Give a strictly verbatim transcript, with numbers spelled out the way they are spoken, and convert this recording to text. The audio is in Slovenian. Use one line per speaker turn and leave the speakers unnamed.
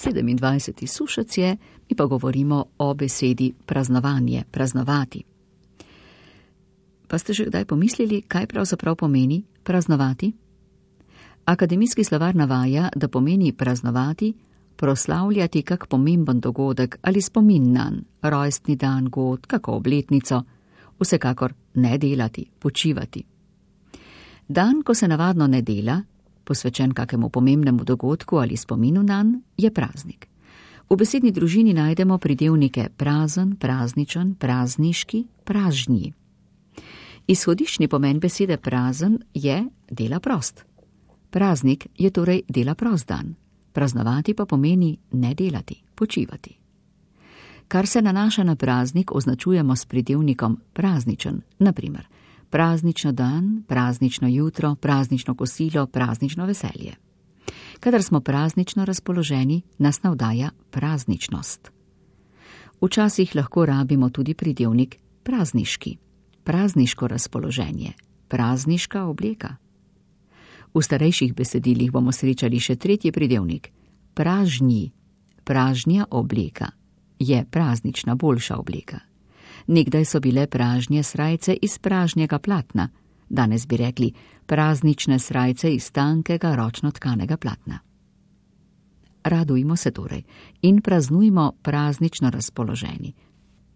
sedemindvajseti sušec je, mi pa govorimo o besedi praznovanje, praznovati. Pa ste že kdaj pomislili, kaj pravzaprav pomeni praznovati? Akademijski slovar navaja, da pomeni praznovati, proslavljati kak pomemben dogodek ali spomin nanj, rojstni dan, god, kako obletnico, vsekakor ne delati, počivati. Dan, ko se navadno ne dela, posvečen kakemu pomembnemu dogodku ali spominu nanj, je praznik. V besedni družini najdemo pridevnike prazen, prazničen, prazniški, pražnji. Izhodiščni pomen besede prazen je dela prost. Praznik je torej dela prost dan. Praznovati pa pomeni ne delati, počivati. Kar se nanaša na praznik, označujemo s pridevnikom prazničen, na primer praznično dan, praznično jutro, praznično kosilo, praznično veselje. Kadar smo praznično razpoloženi, nas navdaja prazničnost. Včasih lahko rabimo tudi pridevnik prazniški, prazniško razpoloženje, prazniška obleka. V starejših besedilih bomo srečali še tretji pridevnik, pražnji, pražnja obleka, je praznična boljša obleka. Nekdaj so bile pražnje srajce iz pražnjega platna, danes bi rekli praznične srajce iz tankega ročno tkanega platna. Radujmo se torej in praznujmo praznično razpoloženi.